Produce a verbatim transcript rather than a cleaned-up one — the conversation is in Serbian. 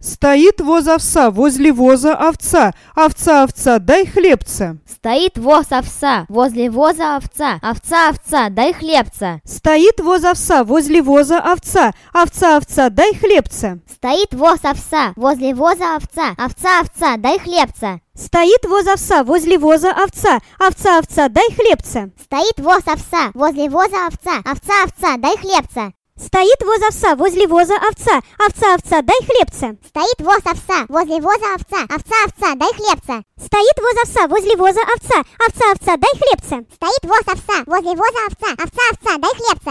Стоит воз овса, возле воза овца. Овца, овца, дай хлебца. Стоит воз овса, возле воза овца. Овца, овца, дай хлебца. Стоит воз овса, возле воза овца. Овца, овца, дай хлебца. Стоит воз овса, возле воза овца. Овца, овца, дай хлебца. Стоит воз овса, возле воза овца. Овца, овца, дай хлебца. Стоит воз овса, возле воза овца. Овца, овца, дай хлебца. Стоит воз овса, возле воза овца. Овца, овца, дай хлебца. Стоит воз овса, возле воза овца. Овца, овца, дай хлебца. Стоит воз овса, возле воза овца. Овца, овца, дай хлебца. Стоит воз овса, возле воза овца. Овца, овца, дай хлебца.